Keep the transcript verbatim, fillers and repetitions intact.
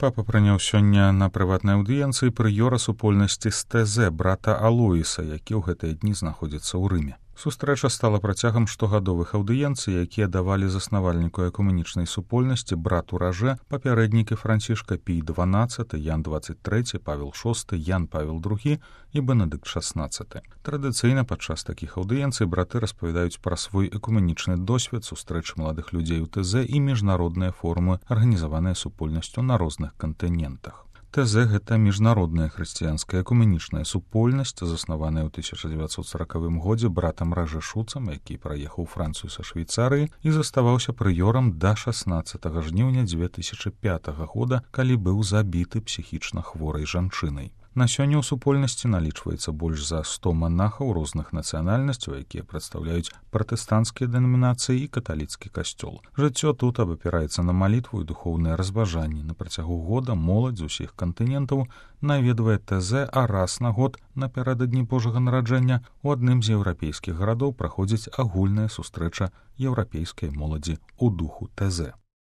Папа прыняў сёння на прыватнай аўдыенцыі прыёра супольнасці з ТЗ брата Алоіса, які ў гэтыя дні знаходзіцца ў Рыме. Сустрэча стала працягам штогадовых аўдыенцый, якія давалі заснавальніку экумэнічнай супольнасці брату Ражэ папярэднікі Францішка Пій дванаццаты, Ян дваццаць трэці, Павел шосты, Ян Павел другі і Бенедыкт шаснаццаты. Традыцыйна падчас такіх аўдыенцый браты распавядаюць пра свой экумэнічны досвед, сустрэчы маладых людзей у ТЗ і міжнародныя форумы, арганізаваныя супольнасцю на розных кантынентах. ТЗ — гэта міжнародная хрысціянская экумэнічная супольнасць, заснаваная ў тысяча дзевяцьсот саракавым годзе братам Ражэ Шуцам, які праехаў Францыю са Швейцарыі і заставаўся прыёрам да шаснаццатага жніўня дзве тысячы пятага года, калі быў забіты псіхічна хворай жанчынай. На сёння ў супольнасці налічваецца больш за сто манахаў розных нацыянальнасцяў, якія прадстаўляюць пратэстанцкія дэнамінацыі і каталіцкі касцёл. Жыццё тут абапіраецца на малітву і духоўныя разважанні. На працягу года моладзь з усіх кантынентаў наведвае ТЗ, а раз на год напярэдадні Божага нараджэння у адным з еўрапейскіх гарадоў праходзіць агульная сустрэча еўрапейскай моладзі ў духу ТЗ.